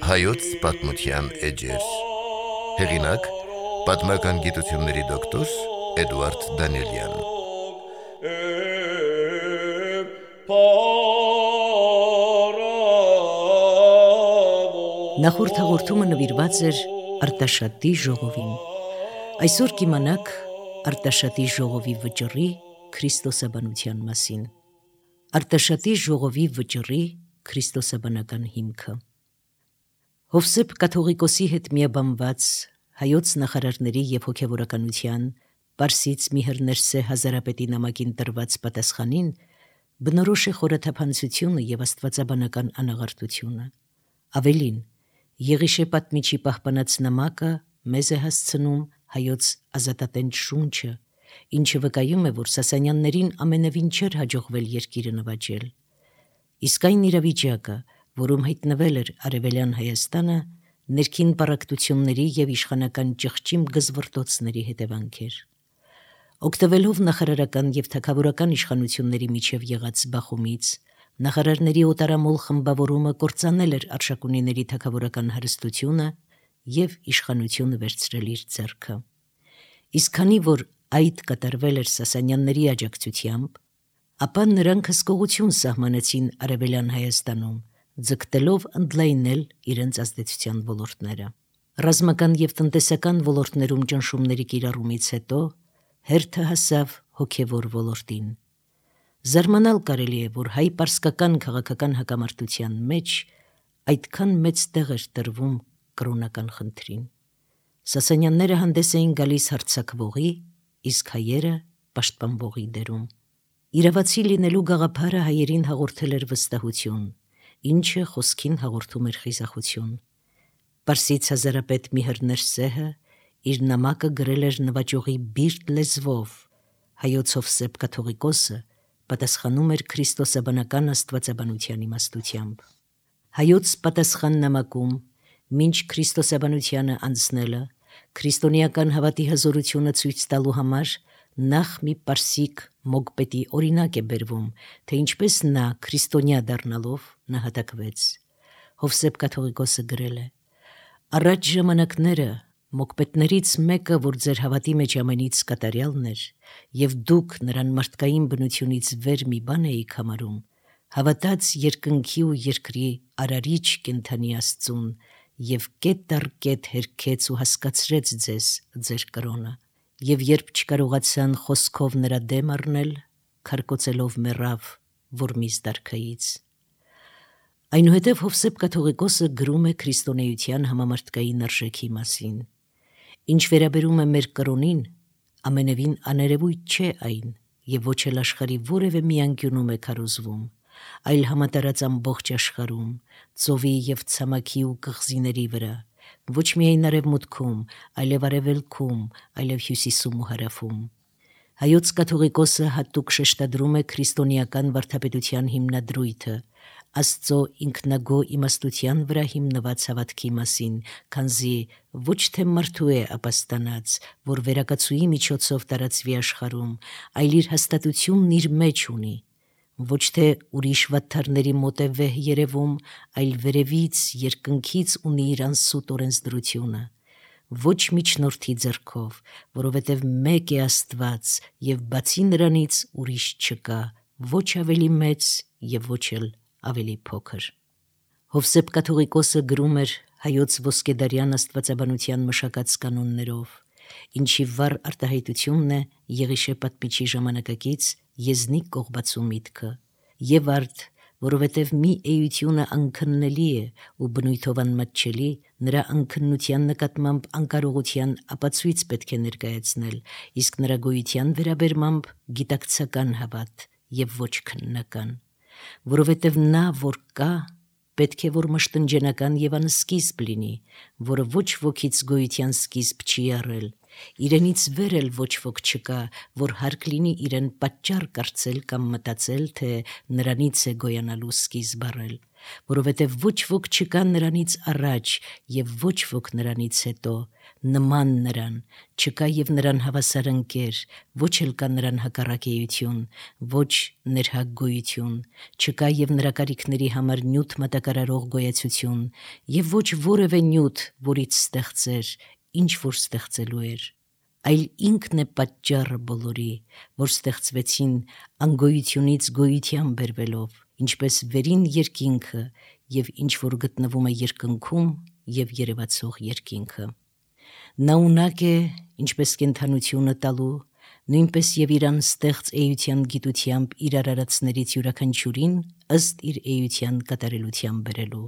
Հայոց պատմության էջեր։ Հեղինակ պատմական գիտությունների դոկտոր Էդուարդ Դանիելյան։ Նախորդ հաղորդումը նվիրված էր Արտաշատի ժողովին։ Այսօր կիմանաք Արտաշատի ժողովի վճռի քրիստոսաբանության մասին։ Արտաշատի ժողովի վճռի քրիստոսաբանական հիմքը։ Հովսեփ կաթողիկոսի հետ միաբանված հայոց նախարարների և հոգևորականության Պարսից Միհր Հազարապետի նամակին տրված պատասխանին բնորոշ է խորաթափանցությունը և աստվածաբանական անաղարտությունը։ Ավելին, Եղիշե պատմիչի պահպանած նամակը մեզ է հասցնում հայոց ազատատենչ շունչը, ինչը վկայում է, որ Սասանյաններին ամենևին չէր հաջողվել երկիրը նվաճել։ Իսկ այն իրավիճակը, որում հայտնվել էր Արևելյան Հայաստանը, ներքին պառակտությունների և իշխանական ճղճիմ գզվռտոցների հետևանք էր։ Օգտվելով նախարարական և թագավորական իշխանությունների միջև եղած բախումից, նախարարների օտարամոլ խմբավորումը կործանել էր Արշակունիների թագավորական հարստությունը և իշխանությունը վերցրել իր ձեռքը։ Իսկ քանի որ այդ կատարվել էր Սասանյանների աջակցությամբ, ապա նրանք հսկողություն սահմանեցին Արևելյան Հայաստանում, ձգտելով ընդլայնել իրենց ազդեցության ոլորտները։ Ռազմական և տնտեսական ոլորտներում ճնշումների կիրառումից հետո հերթը հասավ հոգևոր ոլորտին։ Զարմանալ կարելի է, որ հայ-պարսկական քաղաքական հակամարտության մեջ այդքան մեծ տեղ էր տրվում կրոնական խնդրին։ Սասանյանները հանդես էին գալիս հարձակվողի, իսկ հայերը պաշտպանվողի դերում։ Իրավացի լինելու գաղափարը հայերին հաղորդել էր վստահություն, ինչը խոսքին հաղորդում էր խիզախություն։ Պարսից հազարապետ Միհր Ներսեհը իր նամակը գրել էր նվաճողի բիրտ լեզվով, հայոց Հովսեփ կաթողիկոսը պատասխանում էր քրիստոսաբանական աստվածաբանության իմաստությամբ։ Հայոց պատասխան նամակում, մինչ քրիստոսաբանությանը անցնելը, քրիստոնեական հավատի հզորությունը ցույց տալու համար նախ մի պարսիկ մոգպետի օրինակ է բերվում, թե ինչպես նա քրիստոնյա դառնալով նահատակվեց։ Հովսեփ կաթողիկոսը գրել է. «Առաջ ժամանակները մոգպետներից մեկը, որ ձեր հավատի մեջ ամենից կատարյալն էր, և դուք նրան մարդկային բնությունից վեր մի բան էիք համարում, հավատաց երկնքի ու երկրի արարիչ կենդանի Աստծուն և կետ առ կետ հերքեց ու հասկացրեց ձեզ ձեր կրոնը, և երբ չկարողացան խոսքով նրա դեմ առնել, քարկոծելով մեռավ Որմիզ դարքայից»։ Այնուհետև Հովսեփ կաթողիկոսը գրում է քրիստոնեության համամարտկային արժեքի մասին։ Ինչ վերաբերում է մեր կրոնին, ամենևին աներևույթ չէ այն և ոչ էլ աշխարհի որևէ մի անկյունում է քարոզվում, այլ համատարած ամբողջ աշխարհում, ծովի և ցամաքի ու կղզիների վրա, ոչ միայն արևմուտքում, այլև արևելքում, այլև հյուսիսում ու հարավում։ Հայոց կաթողիկոսը հատուկ շեշտադրում է քրիստոնեական վարդապետության հիմնադրույթը, Աստծո ինքնագոհ իմաստության վրա հիմնված հավատքի մասին, քանզի ոչ թե մարդու է ապաստանած, որ վերակացուի միջոցով տարածվի աշխարհում, այլ իր հաստատությունն իր մեջ ունի, ոչ թե ուրիշ վատթարների մոտ է վեհ երևում, այլ վերևից, երկնքից ունի իր անսուտ օրենսդրությունը, ոչ միջնորդի ձեռքով, որովհետև մեկ է Աստված և բացի նրանից ուրիշ չկա, ոչ ավելի մեծ և ոչ էլ ավելի փոքր։ Հովսեփ կաթողիկոսը գրում էր հայոց ոսկեդարյան աստվածաբանության մշակած կանոններով, ինչի վառ արտահայտությունն է Եղիշե պատմիչի ժամանակակից եզնիկ կողբացու միտքը, և արդ, որովհետև մի էությունը անքննելի է ու բնույթով անմատչելի, նրա անքննության նկատմամբ անկարողության ապացույց պետք է ներկայացնել, իսկ նրա գոյության վերաբերմամբ գիտակցական հավատ և ոչ քննական, որովհետև նա, որ կա, պետք է որ մշտնջենական և անսկիզբ լինի, որը ոչ ոքից գոյության սկիզբ չի առել, իրենից վեր էլ ոչ ոք չկա, որ հարկ լինի իրեն պատճառ կարծել կամ մտածել, թե նրանից է գոյանալու սկիզբ առել, որովհետև ոչ ոք չկա նրանից առաջ և ոչ ոք նրանից հետո, նման նրան, չկա եւ նրան հավասար ընկեր, ոչ էլ կա նրան հակառակեություն, ոչ ներհագգոյություն, չկա եւ նրա կարիքների համար նյութ մատակարարող գոյացություն, եւ ոչ որևէ նյութ, որից ստեղծեր, ինչ որ ստեղծելու էր, այլ ինքն է պատճառը բոլորի, որ ստեղծվեցին անգոյությունից գոյության բերվելով, ինչպես վերին երկինքը եւ ինչ որ գտնվում է երկնքում եւ երևացող երկինքը։ Նա ունակ է, ինչպես կենդանությունը տալու, նույնպես եւ իրան ստեղծ էության գիտությամբ իր արարածներից յուրաքանչյուրին ըստ իր էության կատարելության բերելու։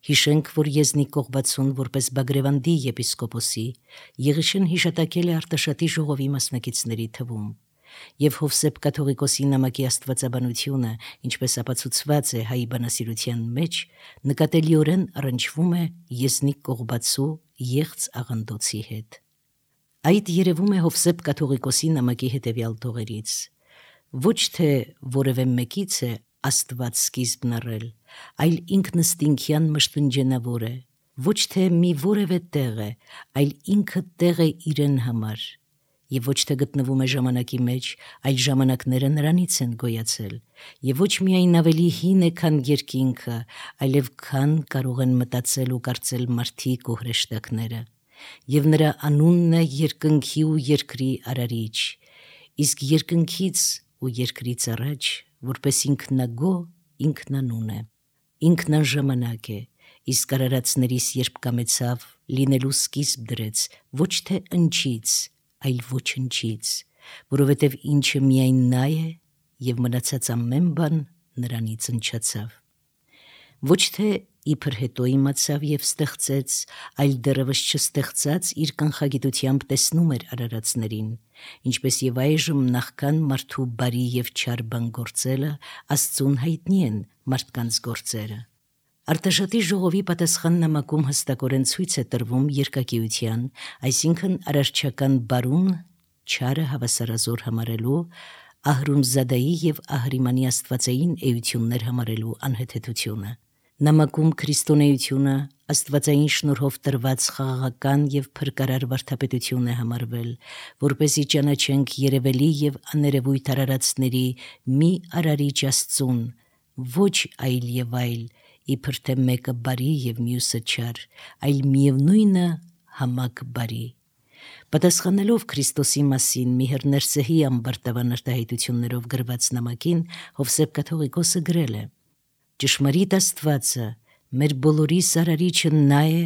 Հիշենք, որ Եզնիկ Կողբացուն որպես Բագրևանդի եպիսկոպոսի Եղիշեն հիշատակել է Արտաշատի ժողովի մասնակիցների թվում, եւ Հովսեփ կաթողիկոսի նամակի աստվածաբանությունը, ինչպես ապացուցված է հայ բանասիրության մեջ, նկատելիորեն առնչվում է Եզնիկ Կողբացու եղծ աղանդոցի հետ։ Այդ երևում է Հովսեփ կաթողիկոսի նամակի հետևյալ տողերից. ոչ թե որևէ մեկից է Աստված սկիզբն առել, այլ ինքնըստինքյան մշտնջենավոր է, ոչ թե մի որևէ տեղ է, այլ ինքը տեղ է իրեն համար, եւ ոչ թե գտնվում է ժամանակի մեջ, այլ ժամանակները նրանից են գոյացել, եւ ոչ միայն ավելի հին է, քան երկինքը, այլև քան կարող են մտածել ու կարծել մարդիկ ու հրեշտակները, եւ նրա անունն է երկնքի ու երկրի արարիչ, իսկ երկնքից ու երկրից առաջ, որպես ինքնագո, ինքնանուն է, ինքնաժամանակ է, իսկ արարածներիս երբ կամեցավ, լինելու սկիզբ դրեց, ոչ թե ընչից, այլ ոչնչից, որովհետև ինչը միայն նա է եւ մնացած ամեն բան նրանից ընչացավ։ Ոչ թե իբր հետո իմացավ եւ ստեղծեց, այլ դեռևս չստեղծած իր կանխագիտությամբ տեսնում էր արարածներին, ինչպես եւ այժմ նախքան մարդու բարի եւ չար բան գործելը Աստծուն հայտնի են մարդկանց գործերը։ Արտաշատի ժողովի պատասխան նամակում հստակորեն ցույց է տրվում երկակիության, այսինքն արարչական բարուն չարը հավասարազոր համարելու, Ահրումզադայի եւ Ահրիմանի աստվածային էություններ համարելու անհեթեթությունը։ Նամակում քրիստոնեությունը աստվածային շնորհով տրված խաղաղական եւ փրկարար վարդապետություն է համարվել, որպեսզի ճանաչենք երևելի եւ աներևույթ արարածների մի արարիչ Աստծուն, ոչ այլ եւ այլ, իբր թե մեկը բարի եւ մյուսը չար, այլ միևնույնը համակ բարի։ Պատասխանելով Քրիստոսի մասին Միհր Ներսեհի ամբարտավան արտահայտություններով գրված նամակին, Հովսեփ կաթողիկոսը գրել է. «Ճշմարիտ Աստվածը, մեր բոլորի Սարարիչը նա է,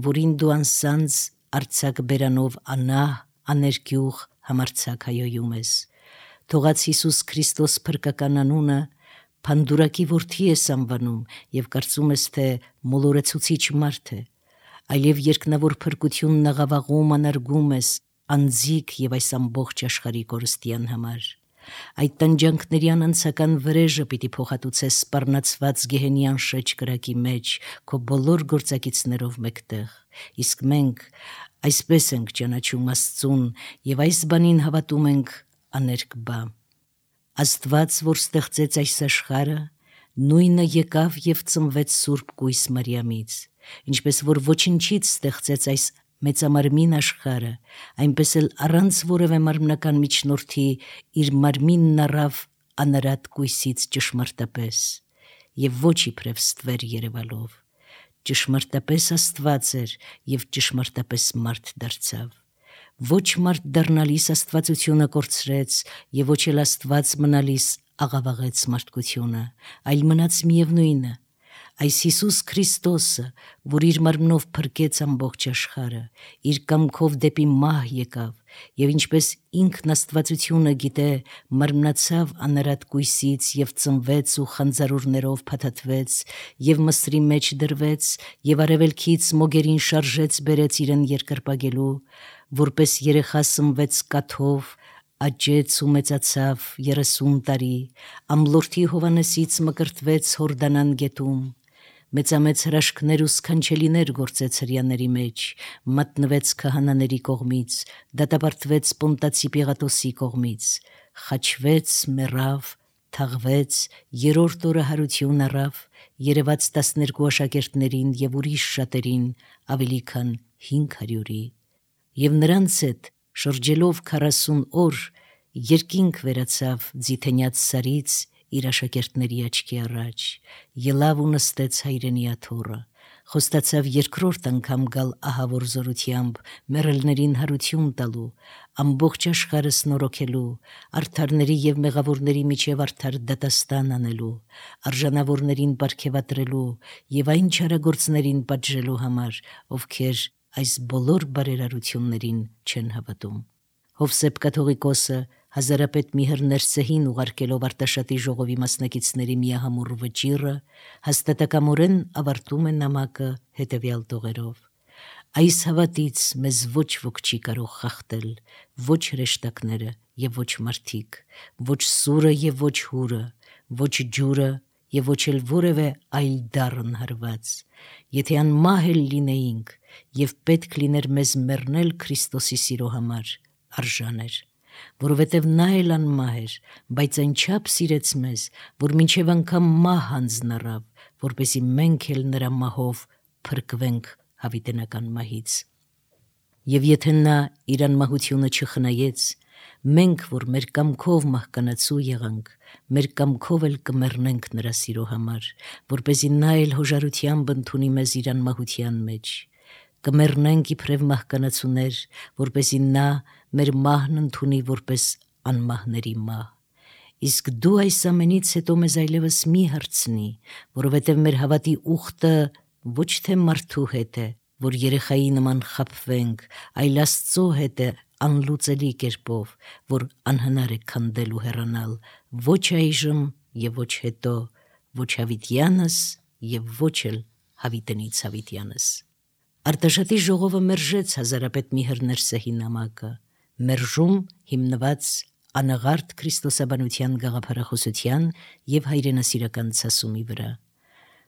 որին դու անսանձ արձակ բերանով անահ, աներկյուղ համարձակ հայոյում ես։ Թողած Հիսուս Քրիստոս փրկական անունը Փանդուրակի որդի ես անվանում եւ կարծում ես, թե մոլորեցուցիչ մարդ է, այլև երկնավոր փրկությունն աղավաղում անարգում ես անձիկ եւ այս ամբողջ աշխարհի կորստյան համար։ Այդ տանջանքների անանցական վրեժը պիտի փոխհատուցես սպառնացված գեհենյան շեջ կրակի մեջ քո բոլոր գործակիցներով մեկտեղ, իսկ մենք այսպես ենք ճանաչում Աստծուն եւ այս բանին հավատում ենք աներկ բա։ Աստված, որ ստեղծեց այս աշխարհը, նույնը եկավ եւ ծնվեց Սուրբ Կույս Մարիամից, ինչպես որ ոչնչից ստեղծեց այս մեծամարմին աշխարհը, այնպես էլ առանց որևէ մարմնական միջնորդի իր մարմինն առավ անարատ կույսից ճշմարտապես եւ ոչ իբրև ստվեր երևալով, ճշմարտապես Աստված էր եւ ճշմարտապես մարդ դարձավ, ոչ մարդ դառնալիս Աստվածությունը կորցրեց եւ ոչ էլ Աստված մնալիս աղավաղեց մարդկությունը, այլ մնաց միևնույնը, այս Հիսուս Քրիստոսը, որ իր մարմնով փրկեց ամբողջ աշխարհը, իր կամքով դեպի մահ եկավ եւ ինչպես ինքն Աստվածությունը գիտե, մարմնացավ անարատ կույսից եւ ծնվեց ու խանձարուրներով փաթաթվեց եւ մսրի մեջ դրվեց եւ արևելքից մոգերին շարժեց բերեց իրեն երկրպագելու, որպես երեխա սնվեց կաթով, աճեց ու մեծացավ 30 տարի, ամլորթի Հովանեսից մկրտվեց Հորդանան գետում, մեծամեծ հրաշքներ ու սքանչելիներ գործեց հրյաների մեջ, մատնվեց քահանաների կողմից, դատապարտվեց Պոնտացի Պիղատոսի կողմից, խաչվեց, մեռավ, թաղվեց, երրորդ օրը հարություն առավ, երևաց 12 աշակերտներին եւ ուրիշ շատերին, ավելի քան 500-ի, Եվ նրանց հետ շրջելով 40 օր երկինք վերացավ ձիթենյաց սարից իր աշակերտների աչքի առաջ, ելավ ու նստեց հայրենի աթոռը, խոստացավ երկրորդ անգամ գալ ահավոր զորությամբ, մեռելներին հարություն տալու, ամբողջ աշխարհը սնորոքելու, արդարների եւ մեղավորների միջև արդար դատաստան անելու, արժանավորներին պարգևատրելու եւ այն չարագործներին պատժելու համար, ովքեր այս բոլոր բարերարություններին չեն հավատում։ Հովսեփ կաթողիկոսը հազարապետ Միհր Ներսեհին ուղարկելով Արտաշատի ժողովի մասնակիցների միահամուռ վճիռը հաստատակամորեն ավարտում է նամակը հետևյալ տողերով. Այս հավատից մեզ ոչ ոք չի կարող խախտել, ոչ հրեշտակները եւ ոչ մարդիկ, ոչ սուրը եւ ոչ հուրը, ոչ ջուրը եւ ոչ էլ որևէ այլ դառն հարված։ Եթե անմահ էլ լինեինք եւ պետք լիներ մեզ մեռնել Քրիստոսի սիրո համար, արժան էր, որովհետև նա էլ անմահ էր, բայց այնչափ սիրեց մեզ, որ մինչև անգամ մահ հանձնառավ, որպեսզի մենք էլ նրա մահով փրկվենք հավիտենական մահից։ Եվ եթե նա իր անմահությունը չխնայեց, մենք, որ մեր կամքով մահկանացու եղանք, մեր կամքով էլ կմեռնենք նրա սիրո համար, որպեսզի նա էլ հոժարությամբ ընդունի մեզ իր անմահության մեջ։ Կմեռնենք իբրև մահկանացուներ, որպեսզի նա մեր մահն ընդունի որպես անմահների մահ։ Իսկ դու այս ամենից հետո մեզ այլևս մի հարցնի, որովհետև մեր հավատի ուխտը ոչ թե մարդու հետ է, որ երեխայի նման խաբվենք, այլ Աստծո հետ է անլուծելի կերպով, որ անհնար է քանդել ու հեռանալ, ոչ այժմ եւ ոչ հետո, ոչ հավիտյանս եւ ոչ էլ հավիտենից հավիտյանս։ Արտաշատի ժողովը մերժեց հազարապետ Միհր Ներսեհի նամակը, մերժում հիմնված անաղարտ քրիստոսաբանության գաղափարախոսության եւ հայրենասիրական ցասումի վրա։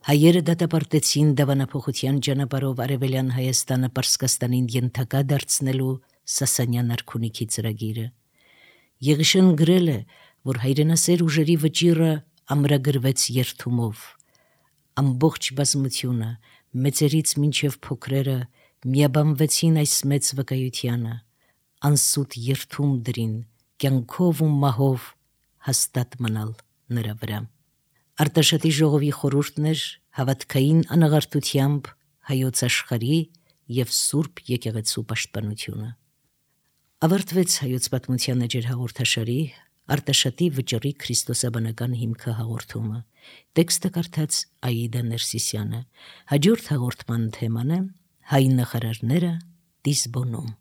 Հայերը դատապարտեցին դավանափոխության ճանապարհով արևելյան Հայաստանը Պարսկաստանին ենթակա դարձնելու Սասանյան արքունիքի ծրագիրը։ Եղիշեն գրել է, որ հայրենասեր ուժերի վճիռը ամրագրվեց երթումով։ Ամբողջ բազմությունը, մեծերից մինչև փոքրերը, միաբանվեցին այս մեծ վկայությանը, անսուտ երթում դրին, կյանքով ու մահով հաստատ մնալ նրա վրա։ Արտաշատի ժողովի խորհուրդն էր հավատքային անաղարտությամբ հայոց աշխարհի եւ Սուրբ եկեղեցու պաշտպանությունը։ Ավարտվեց հայոց պատմության էջեր հաղորդաշարի Արտաշատի վճռի քրիստոսաբանական հիմքը հաղորդումը։ Տեքստը կարդաց Աիդա Ներսիսյանը։ Հաջորդ հաղորդման թեման է հայ նախարարները Դիսբոնում։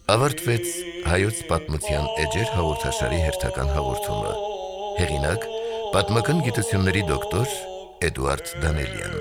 Ավարտվեց հայոց պատմության էջեր հաղորդաշարի հերթական հաղորդումը։ Հեղինակ պատմական գիտությունների դոկտոր Էդուարդ Դանելյան։